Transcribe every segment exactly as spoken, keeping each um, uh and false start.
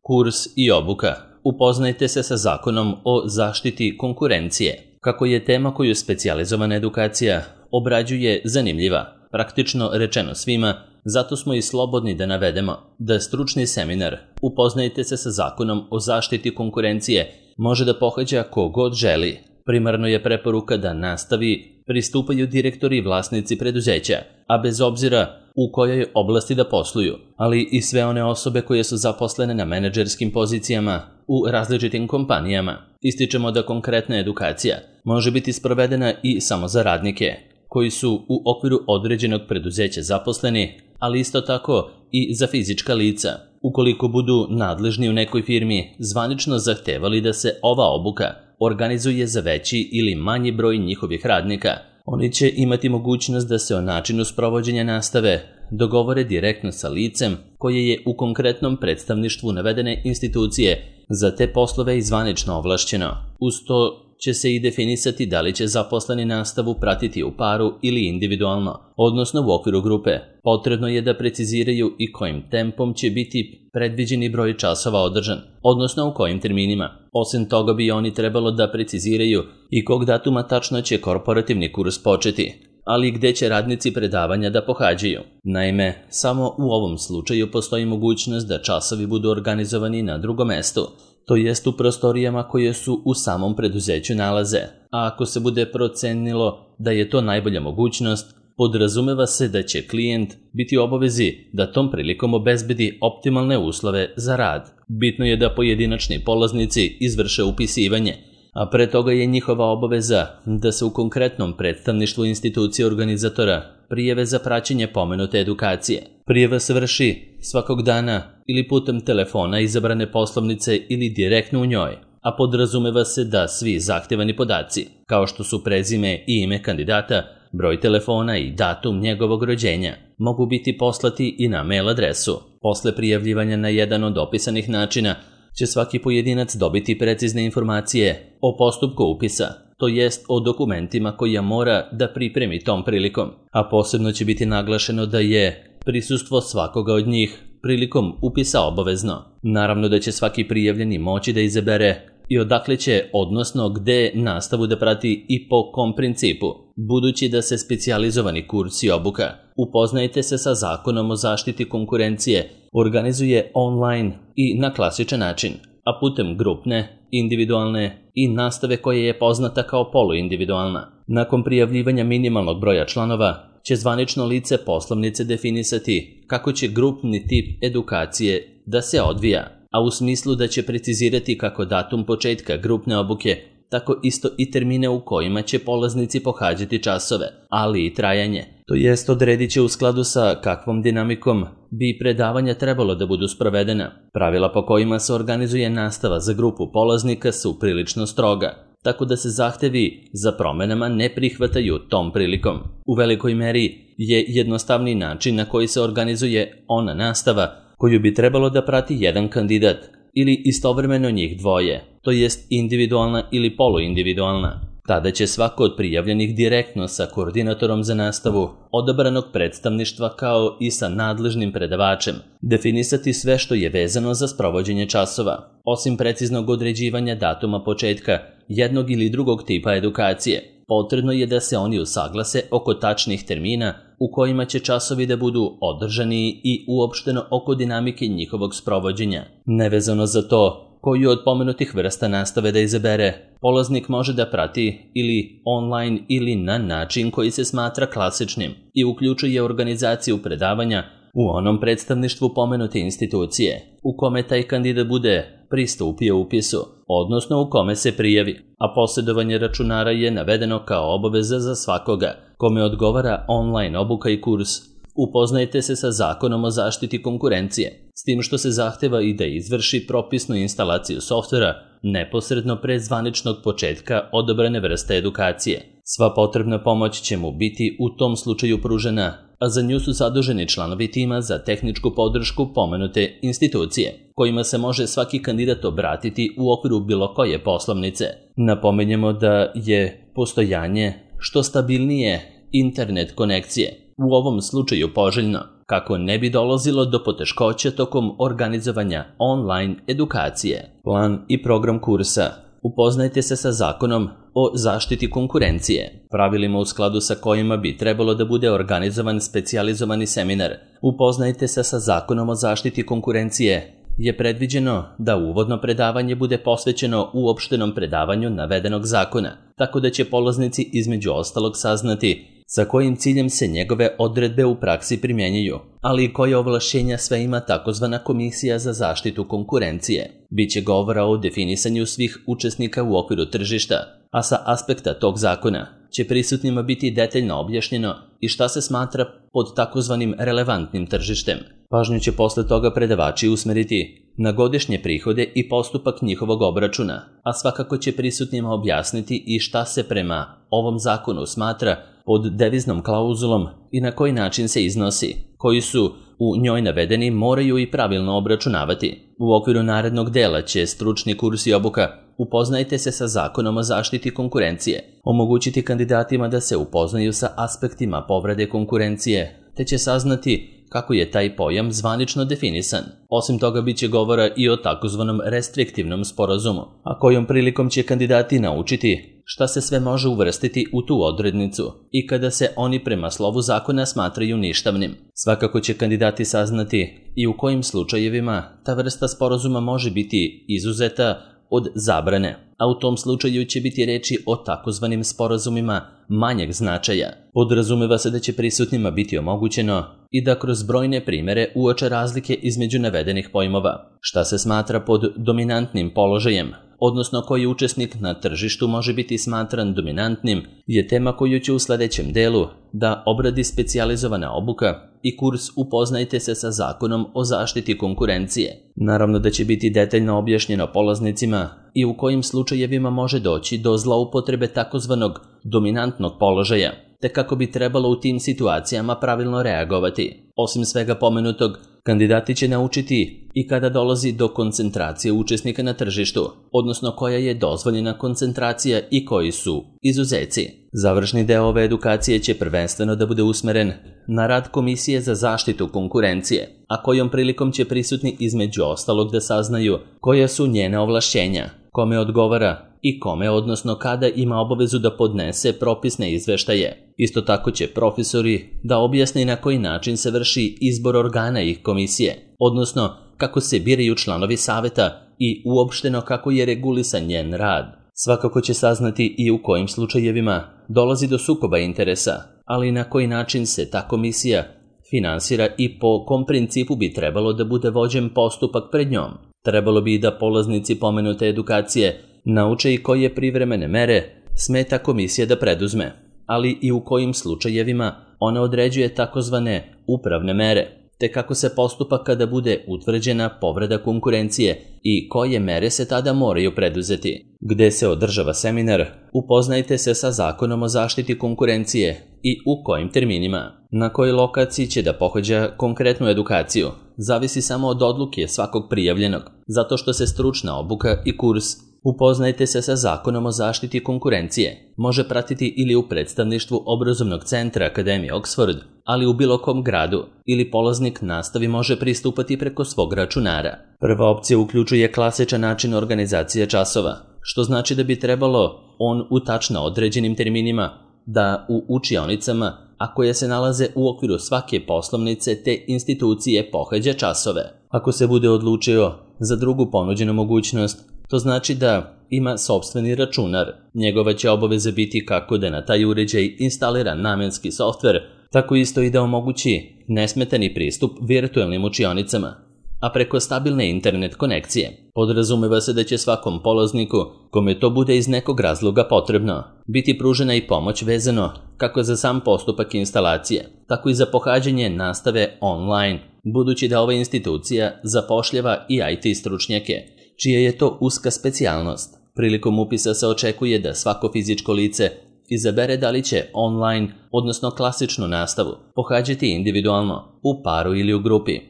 Kurs i obuka. Upoznajte se sa Zakonom o zaštiti konkurencije. Kako je tema koju specijalizovana edukacija obrađuje zanimljiva, praktično rečeno svima, zato smo i slobodni da navedemo da stručni seminar Upoznajte se sa Zakonom o zaštiti konkurencije može da pohađa ko god želi. Primarno je preporuka da nastavi pristupaju direktori i vlasnici preduzeća, a bez obzira u kojoj oblasti da posluju, ali i sve one osobe koje su zaposlene na menadžerskim pozicijama u različitim kompanijama. Ističemo da konkretna edukacija može biti sprovedena i samo za radnike koji su u okviru određenog preduzeća zaposleni, ali isto tako i za fizička lica. Ukoliko budu nadležni u nekoj firmi zvanično zahtevali da se ova obuka organizuje za veći ili manji broj njihovih radnika, oni će imati mogućnost da se o načinu sprovođenja nastave dogovore direktno sa licem koje je u konkretnom predstavništvu navedene institucije za te poslove i zvanično ovlašćeno. Uz to će se i definisati da li će zaposleni nastavu pratiti u paru ili individualno, odnosno u okviru grupe. Potrebno je da preciziraju i kojim tempom će biti predviđeni broj časova održan, odnosno u kojim terminima. Osim toga bi oni trebalo da preciziraju i kog datuma tačno će korporativni kurs početi, ali gde će radnici predavanja da pohađaju. Naime, samo u ovom slučaju postoji mogućnost da časovi budu organizovani na drugom mestu, to jest u prostorijama koje su u samom preduzeću nalaze, a ako se bude procenilo da je to najbolja mogućnost, podrazumeva se da će klijent biti u obavezi da tom prilikom obezbedi optimalne uslove za rad. Bitno je da pojedinačni polaznici izvrše upisivanje, a pre toga je njihova obaveza da se u konkretnom predstavništvu institucije organizatora prijave za praćenje pomenute edukacije. Prijava se vrši svakog dana ili putem telefona izabrane poslovnice ili direktno u njoj, a podrazumeva se da svi zahtevani podaci, kao što su prezime i ime kandidata, broj telefona i datum njegovog rođenja, mogu biti poslati i na mail adresu. Posle prijavljivanja na jedan od opisanih načina će svaki pojedinac dobiti precizne informacije o postupku upisa, to jest o dokumentima koja mora da pripremi tom prilikom, a posebno će biti naglašeno da je prisustvo svakoga od njih prilikom upisa obavezno. Naravno da će svaki prijavljeni moći da izabere i odakle će, odnosno gde nastavu da prati i po kom principu. Budući da se specijalizovani kurs i obuka Upoznajte se sa Zakonom o zaštiti konkurencije organizuje online i na klasičan način, a putem grupne, individualne i nastave koja je poznata kao poluindividualna. Nakon prijavljivanja minimalnog broja članova će zvanično lice poslovnice definisati kako će grupni tip edukacije da se odvija, a u smislu da će precizirati kako datum početka grupne obuke, tako isto i termine u kojima će polaznici pohađati časove, ali i trajanje. To jest odredit će u skladu sa kakvom dinamikom bi predavanja trebalo da budu sprovedena. Pravila po kojima se organizuje nastava za grupu polaznika su prilično stroga, tako da se zahtevi za promenama ne prihvataju tom prilikom. U velikoj meri je jednostavni način na koji se organizuje ona nastava koju bi trebalo da prati jedan kandidat ili istovremeno njih dvoje, to jest individualna ili poluindividualna. Tada će svako od prijavljenih direktno sa koordinatorom za nastavu odabranog predstavništva kao i sa nadležnim predavačem definisati sve što je vezano za sprovođenje časova, osim preciznog određivanja datuma početka jednog ili drugog tipa edukacije. Potrebno je da se oni usaglase oko tačnih termina u kojima će časovi da budu održani i uopšteno oko dinamike njihovog sprovođenja. Nevezano za to koju od pomenutih vrsta nastave da izabere, polaznik može da prati ili online ili na način koji se smatra klasičnim i uključuje organizaciju predavanja u onom predstavništvu pomenute institucije u kome taj kandidat bude pristupio upisu, odnosno u kome se prijavi, a posjedovanje računara je navedeno kao obaveza za svakoga kome odgovara online obuka i kurs. Upoznajte se sa Zakonom o zaštiti konkurencije, s tim što se zahteva i da izvrši propisnu instalaciju softvera neposredno pre zvaničnog početka odabrane vrste edukacije. Sva potrebna pomoć će mu biti u tom slučaju pružena, a za nju su zaduženi članovi tima za tehničku podršku pomenute institucije, kojima se može svaki kandidat obratiti u okviru bilo koje poslovnice. Napomenjemo da je postojanje što stabilnije internet konekcije u ovom slučaju poželjno, kako ne bi dolazilo do poteškoća tokom organizovanja online edukacije. Plan i program kursa. Upoznajte se sa zakonom o zaštiti konkurencije, pravilima u skladu sa kojima bi trebalo da bude organizovan specijalizovani seminar. Upoznajte se sa zakonom o zaštiti konkurencije je predviđeno da uvodno predavanje bude posvećeno uopštenom predavanju navedenog zakona, tako da će polaznici između ostalog saznati sa kojim ciljem se njegove odredbe u praksi primjenjuju, ali i koje ovlašćenja sve ima takozvana Komisija za zaštitu konkurencije. Biće govora o definisanju svih učesnika u okviru tržišta, a sa aspekta tog zakona će prisutnima biti detaljno objašnjeno i šta se smatra pod takozvanim relevantnim tržištem. Pažnju će posle toga predavači usmeriti na godišnje prihode i postupak njihovog obračuna, a svakako će prisutnima objasniti i šta se prema ovom zakonu smatra pod deviznom klauzulom i na koji način se iznosi, koji su u njoj navedeni moraju i pravilno obračunavati. U okviru narednog dela će stručni kurs i obuka Upoznajte se sa zakonom o zaštiti konkurencije, omogućiti kandidatima da se upoznaju sa aspektima povrede konkurencije, te će saznati kako je taj pojam zvanično definisan. Osim toga, bit će govora i o takozvanom restriktivnom sporazumu, a kojom prilikom će kandidati naučiti šta se sve može uvrstiti u tu odrednicu i kada se oni prema slovu zakona smatraju ništavnim. Svakako će kandidati saznati i u kojim slučajevima ta vrsta sporazuma može biti izuzeta od zabrane, a u tom slučaju će biti reči o takozvanim sporazumima manjeg značaja. Podrazumeva se da će prisutnima biti omogućeno i da kroz brojne primere uoče razlike između navedenih pojmova. Šta se smatra pod dominantnim položajem, odnosno koji učesnik na tržištu može biti smatran dominantnim, je tema koju će u sledećem delu da obradi specijalizovana obuka i kurs Upoznajte se sa zakonom o zaštiti konkurencije. Naravno da će biti detaljno objašnjeno polaznicima i u kojim slučajevima može doći do zloupotrebe takozvanog dominantnog položaja, te kako bi trebalo u tim situacijama pravilno reagovati. Osim svega pomenutog, kandidati će naučiti i kada dolazi do koncentracije učesnika na tržištu, odnosno koja je dozvoljena koncentracija i koji su izuzeci. Završni deo ove edukacije će prvenstveno da bude usmeren na rad Komisije za zaštitu konkurencije, a kojom prilikom će prisutni između ostalog da saznaju koja su njene ovlašćenja, kome odgovara i kome, odnosno kada ima obavezu da podnese propisne izveštaje. Isto tako će profesori da objasne na koji način se vrši izbor organa ih komisije, odnosno kako se biraju članovi saveta i uopšteno kako je regulisan njen rad. Svakako će saznati i u kojim slučajevima dolazi do sukoba interesa, ali i na koji način se ta komisija finansira i po kom principu bi trebalo da bude vođen postupak pred njom. Trebalo bi da polaznici pomenute edukacije nauče i koje privremene mere smeta komisija da preduzme, ali i u kojim slučajevima ona određuje takozvane upravne mere, te kako se postupa kada bude utvrđena povreda konkurencije i koje mere se tada moraju preduzeti. Gde se održava seminar, upoznajte se sa zakonom o zaštiti konkurencije i u kojim terminima. Na kojoj lokaciji će da pohađa konkretnu edukaciju, zavisi samo od odluke svakog prijavljenog, zato što se stručna obuka i kurs Upoznajte se sa zakonom o zaštiti konkurencije može pratiti ili u predstavništvu obrazovnog centra Akademije Oxford, ali u bilo kom gradu, ili polaznik nastavi može pristupati preko svog računara. Prva opcija uključuje klasičan način organizacije časova, što znači da bi trebalo on u tačno određenim terminima da u učionicama, a koje se nalaze u okviru svake poslovnice te institucije, pohađa časove. Ako se bude odlučio za drugu ponuđenu mogućnost, to znači da ima sopstveni računar. Njegova će obaveza biti kako da na taj uređaj instalira namenski softver, tako isto i da omogući nesmetani pristup virtualnim učionicama, a preko stabilne internet konekcije. Podrazumeva se da će svakom polazniku, kome to bude iz nekog razloga potrebno, biti pružena i pomoć vezano kako za sam postupak instalacije, tako i za pohađanje nastave online, budući da ova institucija zapošljava i I T stručnjake, čija je to uska specijalnost. Prilikom upisa se očekuje da svako fizičko lice izabere da li će online, odnosno klasičnu nastavu, pohađati individualno, u paru ili u grupi,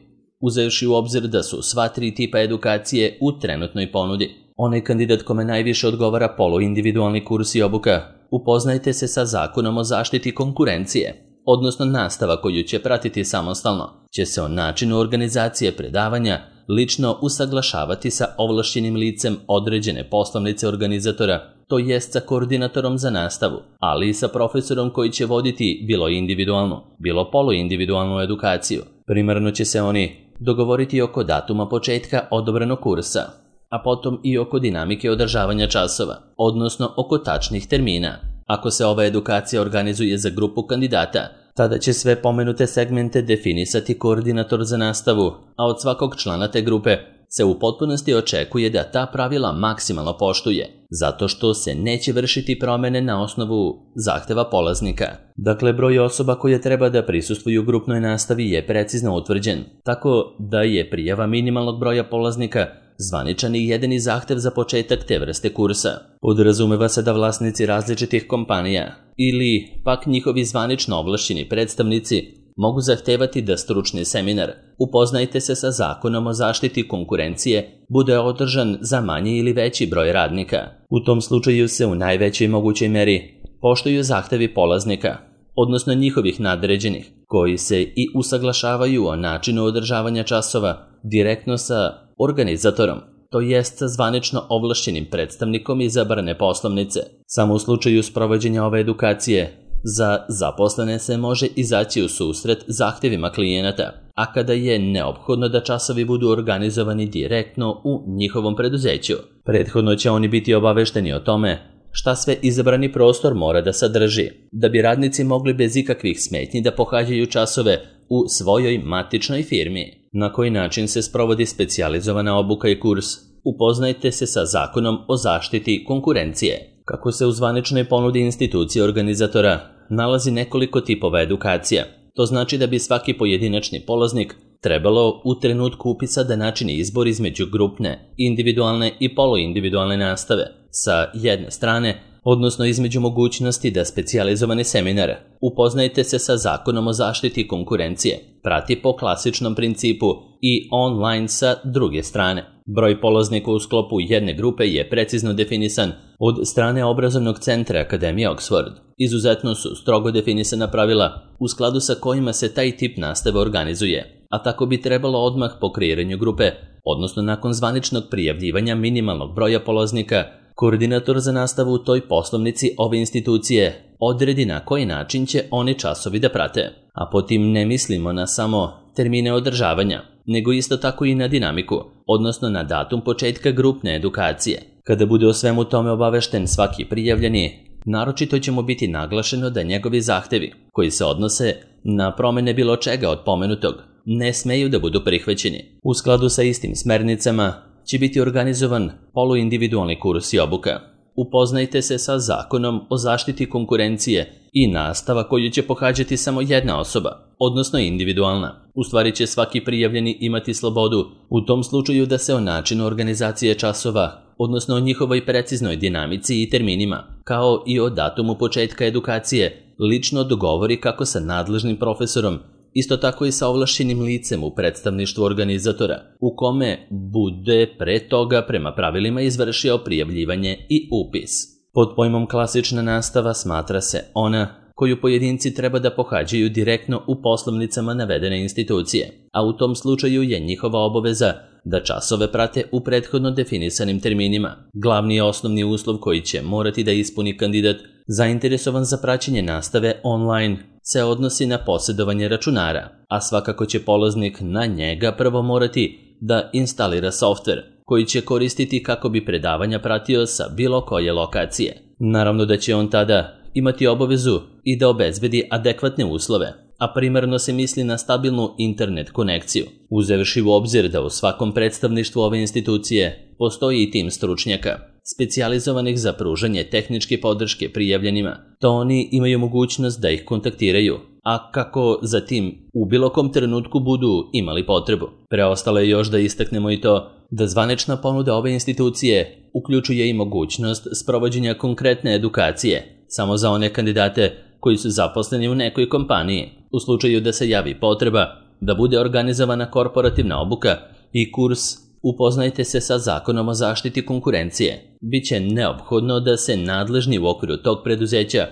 uzevši u obzir da su sva tri tipa edukacije u trenutnoj ponudi. Onaj kandidat kome najviše odgovara poluindividualni kurs i obuka, upoznajte se sa zakonom o zaštiti konkurencije, odnosno nastava koju će pratiti samostalno, će se o načinu organizacije predavanja lično usaglašavati sa ovlašćenim licem određene poslovnice organizatora, to jest sa koordinatorom za nastavu, ali i sa profesorom koji će voditi bilo individualnu, bilo poluindividualnu edukaciju. Primarno će se oni dogovoriti oko datuma početka odobrenog kursa, a potom i oko dinamike održavanja časova, odnosno oko tačnih termina. Ako se ova edukacija organizuje za grupu kandidata, tada će sve pomenute segmente definisati koordinator za nastavu, a od svakog člana te grupe se u potpunosti očekuje da ta pravila maksimalno poštuje, zato što se neće vršiti promene na osnovu zahteva polaznika. Dakle, broj osoba koje treba da prisustvuju grupnoj nastavi je precizno utvrđen, tako da je prijava minimalnog broja polaznika zvaničan i jedini zahtev za početak te vrste kursa. Podrazumeva se da vlasnici različitih kompanija ili pak njihovi zvanično ovlašćeni predstavnici mogu zahtevati da stručni seminar Upoznajte se sa Zakonom o zaštiti konkurencije bude održan za manji ili veći broj radnika. U tom slučaju se u najvećoj mogućoj meri poštuju zahtevi polaznika, odnosno njihovih nadređenih, koji se i usaglašavaju o načinu održavanja časova direktno sa organizatorom, to jest sa zvanično ovlašćenim predstavnikom izabrane poslovnice. Samo u slučaju sprovođenja ove edukacije za zaposlene se može izaći u susret zahtevima klijenata, a kada je neophodno da časovi budu organizovani direktno u njihovom preduzeću. Prethodno će oni biti obavešteni o tome šta sve izabrani prostor mora da sadrži, da bi radnici mogli bez ikakvih smetnji da pohađaju časove u svojoj matičnoj firmi. Na koji način se sprovodi specijalizovana obuka i kurs? Upoznajte se sa Zakonom o zaštiti konkurencije. Kako se u zvaničnoj ponudi institucije organizatora nalazi nekoliko tipova edukacija. To znači da bi svaki pojedinačni polaznik trebalo u trenutku upisa da načini izbor između grupne, individualne i poluindividualne nastave sa jedne strane, odnosno između mogućnosti da specijalizovani seminar Upoznajte se sa Zakonom o zaštiti konkurencije prati po klasičnom principu i online sa druge strane. Broj polaznika u sklopu jedne grupe je precizno definisan od strane obrazovnog centra Akademije Oxford. Izuzetno su strogo definisana pravila u skladu sa kojima se taj tip nastave organizuje, a tako bi trebalo odmah po kreiranju grupe, odnosno nakon zvaničnog prijavljivanja minimalnog broja polaznika, koordinator za nastavu u toj poslovnici ove institucije odredi na koji način će oni časovi da prate. A po tim ne mislimo na samo termine održavanja, nego isto tako i na dinamiku, odnosno na datum početka grupne edukacije. Kada bude o svemu tome obavešten svaki prijavljeni, naročito će mu biti naglašeno da njegovi zahtevi, koji se odnose na promene bilo čega od pomenutog, ne smeju da budu prihvaćeni. U skladu sa istim smernicama će biti organizovan poluindividualni kurs i obuka. Upoznajte se sa Zakonom o zaštiti konkurencije i nastava koju će pohađati samo jedna osoba, odnosno individualna. U stvari će svaki prijavljeni imati slobodu u tom slučaju da se o načinu organizacije časova, odnosno o njihovoj preciznoj dinamici i terminima, kao i o datumu početka edukacije, lično dogovori kako sa nadležnim profesorom, isto tako i sa ovlašćenim licem u predstavništvu organizatora, u kome bude pre toga prema pravilima izvršio prijavljivanje i upis. Pod pojmom klasična nastava smatra se ona koju pojedinci treba da pohađaju direktno u poslovnicama navedene institucije, a u tom slučaju je njihova obaveza da časove prate u prethodno definisanim terminima. Glavni i osnovni uslov koji će morati da ispuni kandidat zainteresovan za praćenje nastave online se odnosi na posjedovanje računara, a svakako će polaznik na njega prvo morati da instalira softver koji će koristiti kako bi predavanja pratio sa bilo koje lokacije. Naravno da će on tada imati obavezu i da obezbedi adekvatne uslove, a primarno se misli na stabilnu internet konekciju, uzevši u obzir da u svakom predstavništvu ove institucije postoji i tim stručnjaka, specijalizovanih za pružanje tehničke podrške prijavljenima, to oni imaju mogućnost da ih kontaktiraju, a kako zatim u bilo kom trenutku budu imali potrebu. Preostalo je još da istaknemo i to da zvanična ponuda ove institucije uključuje i mogućnost sprovođenja konkretne edukacije samo za one kandidate koji su zaposleni u nekoj kompaniji. U slučaju da se javi potreba da bude organizovana korporativna obuka i kurs Upoznajte se sa Zakonom o zaštiti konkurencije, biće neophodno da se nadležni u okviru tog preduzeća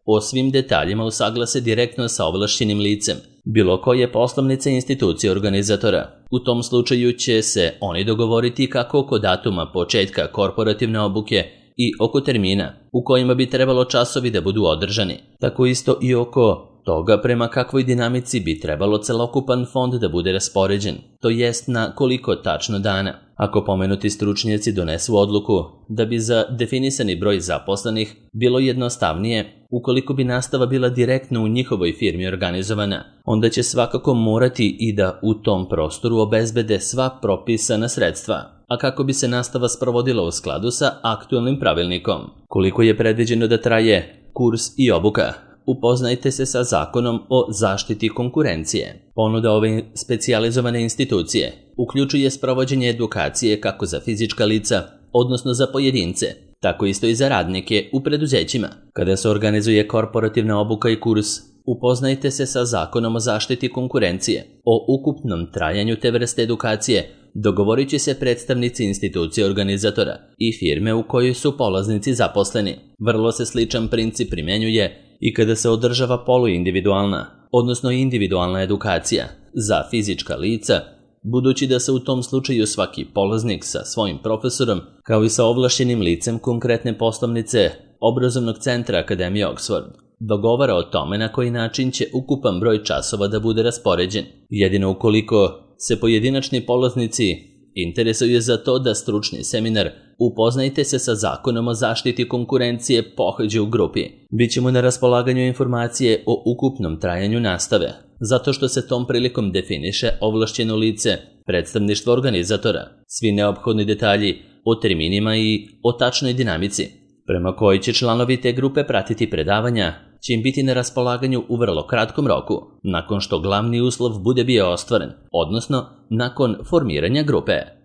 o svim detaljima usaglase direktno sa ovlašćenim licem bilo koje poslovnice institucije organizatora. U tom slučaju će se oni dogovoriti kako oko datuma početka korporativne obuke i oko termina u kojima bi trebalo časovi da budu održani. Tako isto i oko toga prema kakvoj dinamici bi trebalo celokupan fond da bude raspoređen, to jest na koliko tačno dana. Ako pomenuti stručnjaci donesu odluku da bi za definisani broj zaposlenih bilo jednostavnije ukoliko bi nastava bila direktno u njihovoj firmi organizovana, onda će svakako morati i da u tom prostoru obezbede sva propisana sredstva, a kako bi se nastava sprovodila u skladu sa aktualnim pravilnikom. Koliko je predviđeno da traje kurs i obuka? Upoznajte se sa Zakonom o zaštiti konkurencije. Ponuda ove specijalizovane institucije uključuje sprovođenje edukacije kako za fizička lica, odnosno za pojedince, tako isto i za radnike u preduzećima. Kada se organizuje korporativna obuka i kurs, upoznajte se sa Zakonom o zaštiti konkurencije. O ukupnom trajanju te vrste edukacije dogovorit će se predstavnici institucije organizatora i firme u kojoj su polaznici zaposleni. Vrlo se sličan princip primjenjuje i kada se održava poluindividualna, odnosno individualna edukacija za fizička lica, budući da se u tom slučaju svaki polaznik sa svojim profesorom, kao i sa ovlašćenim licem konkretne poslovnice obrazovnog centra Akademije Oxford, dogovara o tome na koji način će ukupan broj časova da bude raspoređen. Jedino ukoliko se pojedinačni polaznici interesuje za to da stručni seminar Upoznajte se sa Zakonom o zaštiti konkurencije pohađe u grupi. Bićemo na raspolaganju informacije o ukupnom trajanju nastave, zato što se tom prilikom definiše ovlašćeno lice predstavništva organizatora, svi neophodni detalji o terminima i o tačnoj dinamici, prema kojoj će članovi te grupe pratiti predavanja, će im biti na raspolaganju u vrlo kratkom roku, nakon što glavni uslov bude bio ostvaren, odnosno nakon formiranja grupe.